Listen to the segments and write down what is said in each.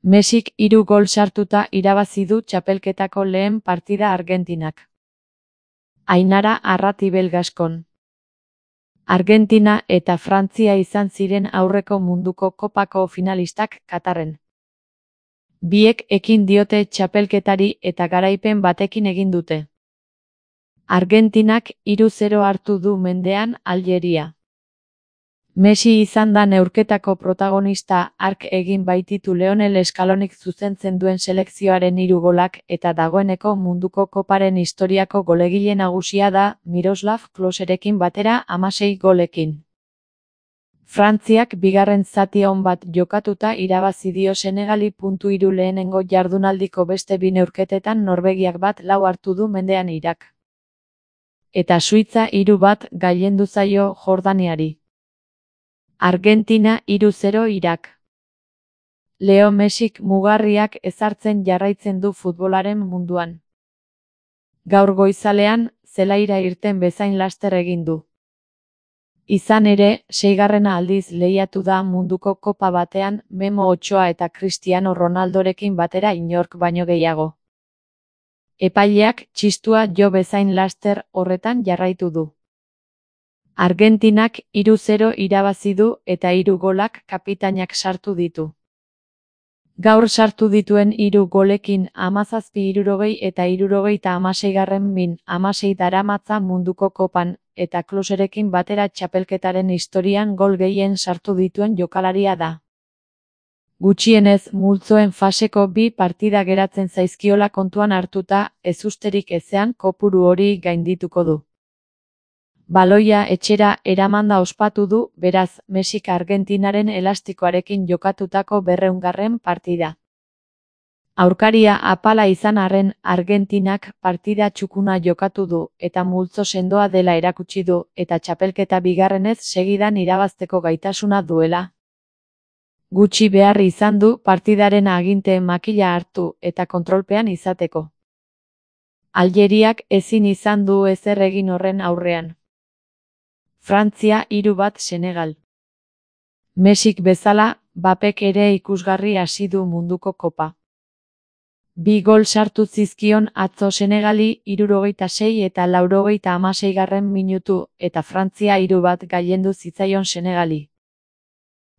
Mesik 3 gol sartuta irabazi du txapelketako lehen partida Argentinak. Ainara Arratibel Gaskon. Argentina eta Frantzia izan ziren aurreko munduko kopako finalistak Katarren. Biek ekin diote txapelketari eta garaipen batekin egin dute. Argentinak 3-0 hartu du mendean Aljeria. Messi izan da neurketako protagonista, hark egin baititu Lionel Scalonik zuzentzen duen selekzioaren 3 golak eta dagoeneko munduko koparen historiako golegile nagusia da Miroslav Kloserekin batera 16 golekin. Frantziak bigarren zati on bat jokatuta irabazi dio Senegali. 3 lehenengo jardunaldiko beste 2 neurketetan Norvegiak 1-4 hartu du mendean Irak. Eta Suitza 3-1 gailendu zaio Jordaniari. Argentina 3-0 Irak. Leo Messik mugarriak ezartzen jarraitzen du futbolaren munduan. Gaur goizalean, zelaira irten bezain laster egin du. Izan ere, 6. aldiz lehiatu da munduko kopa batean Memo Ochoa eta Cristiano Ronaldorekin batera inork baino gehiago. Epaileak txistua jo bezain laster horretan jarraitu du. Argentinak 3-0 irabazi du eta 3 golak kapitainak sartu ditu. Gaur sartu dituen 3 golekin 17-60 eta 76 daramatza munduko kopan, eta Kloserekin batera txapelketaren historian gol gehien sartu dituen jokalaria da. Gutxienez multzoen faseko 2 partida geratzen zaizkiola kontuan hartuta, ezusterik ezean kopuru hori gaindituko du. Baloia etxera eramanda ospatu du, beraz, Messik Argentinaren elastikoarekin jokatutako 200. partida. Aurkaria apala izan arren, Argentinak partida txukuna jokatu du, eta multzo sendoa dela erakutsi du, eta txapelketa bigarrenez segidan irabazteko gaitasuna duela. Gutxi behar izan du partidaren aginte makila hartu eta kontrolpean izateko. Aljeriak ezin izan du ezer egin horren aurrean. Frantzia 3-1 Senegal. Messik bezala, Bapek ere ikusgarri hasi du munduko kopa. 2 gol sartu zizkion atzo Senegali 76 eta 96. minutu, eta Frantzia 3-1 gailendu zitzaion Senegali.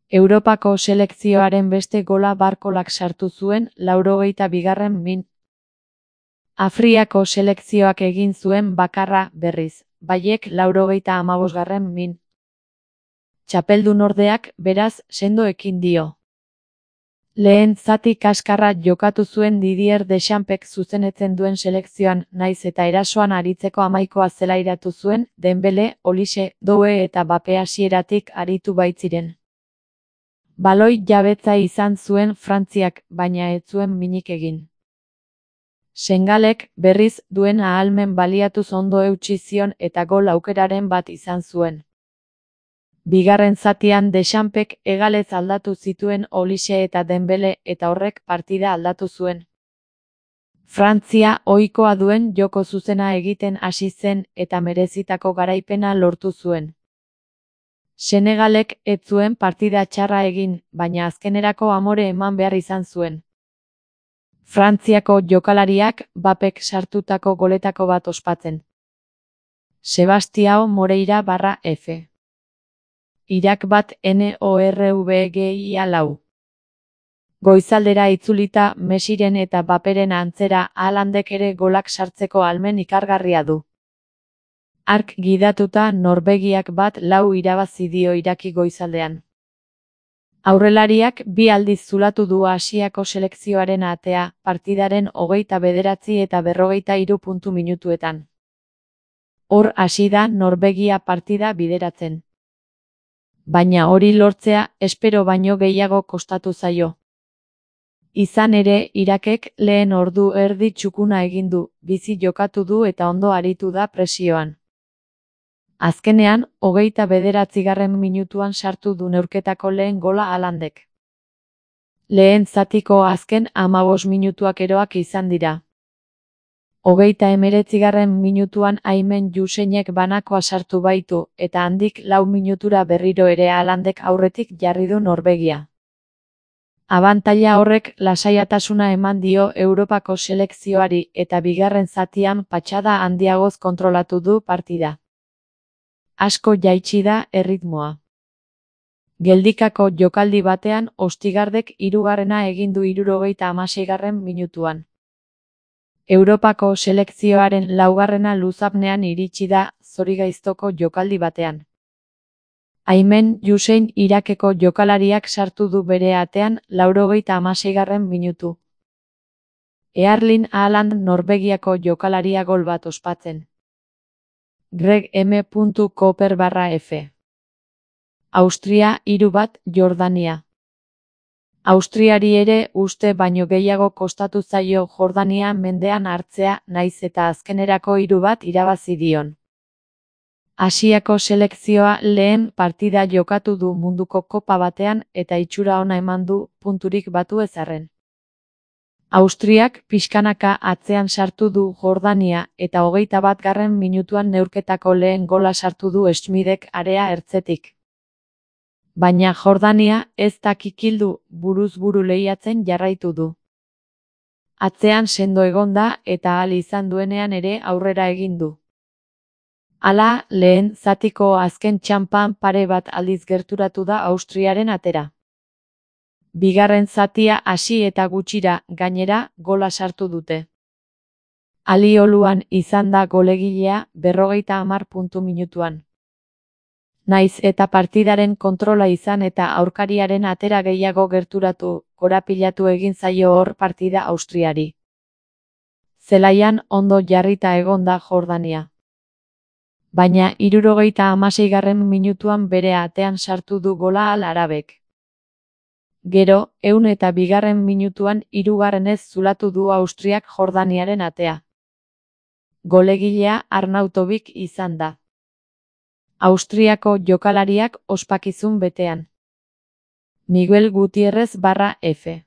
Europako selekzioaren beste gola Barkolak sartu zuen 82. min. Afriako selekzioak egin zuen bakarra, berriz, Baiek 95. min. Txapeldun ordeak, beraz, sendo ekin dio. Lehen zati kaskarra jokatu zuen Didier Deschampsek zuzenetzen duen selekzioan, naiz eta erasoan aritzeko amaikoa zelairatu zuen, Dembele, Olise, Doué eta Mbappé hasieratik aritu baitziren. Baloi jabetza izan zuen Frantziak, baina ez zuen minik egin. Senegalek, berriz, duen ahalmen baliatuz ondo eutsi zion eta gol aukeraren bat izan zuen. Bigarren zatian Deschampsek hegalez aldatu zituen Olise eta Dembele eta horrek partida aldatu zuen. Frantzia ohikoa duen joko zuzena egiten hasi zen eta merezitako garaipena lortu zuen. Senegalek ez zuen partida txarra egin, baina azkenerako amore eman behar izan zuen. Frantziako jokalariak Bapek sartutako goletako bat ospatzen. Sebastião Moreira /F. Irak 1 NORVGIA 4. Goizaldera itzulita Messiren eta Mbapperen antzera Haalandek ere golak sartzeko ahalmen ikargarria du. Hark gidatuta Norvegiak 1-4 irabazi dio Iraki goizaldean. Aurrelariak 2 aldiz zulatu du Asiako selekzioaren atea, partidaren 29 eta 43 puntu minutuetan. Hor hasi da Norvegia partida bideratzen. Baina hori lortzea espero baino gehiago kostatu zaio. Izan ere, Irakek lehen ordu erdi txukuna egin du, bizi jokatu du eta ondo aritu da presioan. Azkenean, 29. minutuan sartu du neurketako lehen gola Haalandek. Lehen zatiko azken 15 minutuak eroak izan dira. 39. minutuan Aymen Yousseinek banakoa sartu baitu, eta handik 4 minutura berriro ere Haalandek aurretik jarri du Norvegia. Abantaila horrek lasaiatasuna eman dio Europako selekzioari eta bigarren zatian patxada handiagoz kontrolatu du partida. Asko jaitsi da erritmoa. Geldikako jokaldi batean Ostigardek hirugarrena egin du 76. minutuan. Europako selekzioaren laugarrena luzapnean iritsi da zorigaiztoko jokaldi batean. Aymen Hussein Irakeko jokalariak sartu du bere atean 86. minutu. Erling Haaland Norvegiako jokalaria gol bat ospatzen. Greg M. Cooper/F. Austria 3-1 Jordania. Austriari ere uste baino gehiago kostatu zaio Jordania mendean hartzea nahiz eta azkenerako 3-1 irabazi dion. Asiako selekzioa lehen partida jokatu du munduko kopa batean eta itxura ona eman du punturik batu ez arren. Austriak pixkanaka atzean sartu du Jordania eta 21. minutuan neurketako lehen gola sartu du Schmidek area ertzetik. Baina Jordania ez da kikildu, buruz buru lehiatzen jarraitu du. Atzean sendo egon da eta ahal izan duenean ere aurrera egin du. Hala, lehen zatiko azken txanpan pare bat aldiz gerturatu da Austriaren atera. Bigarren zatia hasi eta gutxira, gainera, gola sartu dute. Alioluan izan da golegilea 50 minutuan. Naiz eta partidaren kontrola izan eta aurkariaren atera gehiago gerturatu, korapilatu egin zaio hor partida Austriari. Zelaian ondo jarrita egon da Jordania. Baina 76. minutuan bere atean sartu du gola Al-Arabek. Gero, 102. minutuan 3. zulatu du Austriak Jordaniaren atea. Golegilea Arnautovic izan da. Austriako jokalariak ospakizun betean. Miguel Gutierrez/F.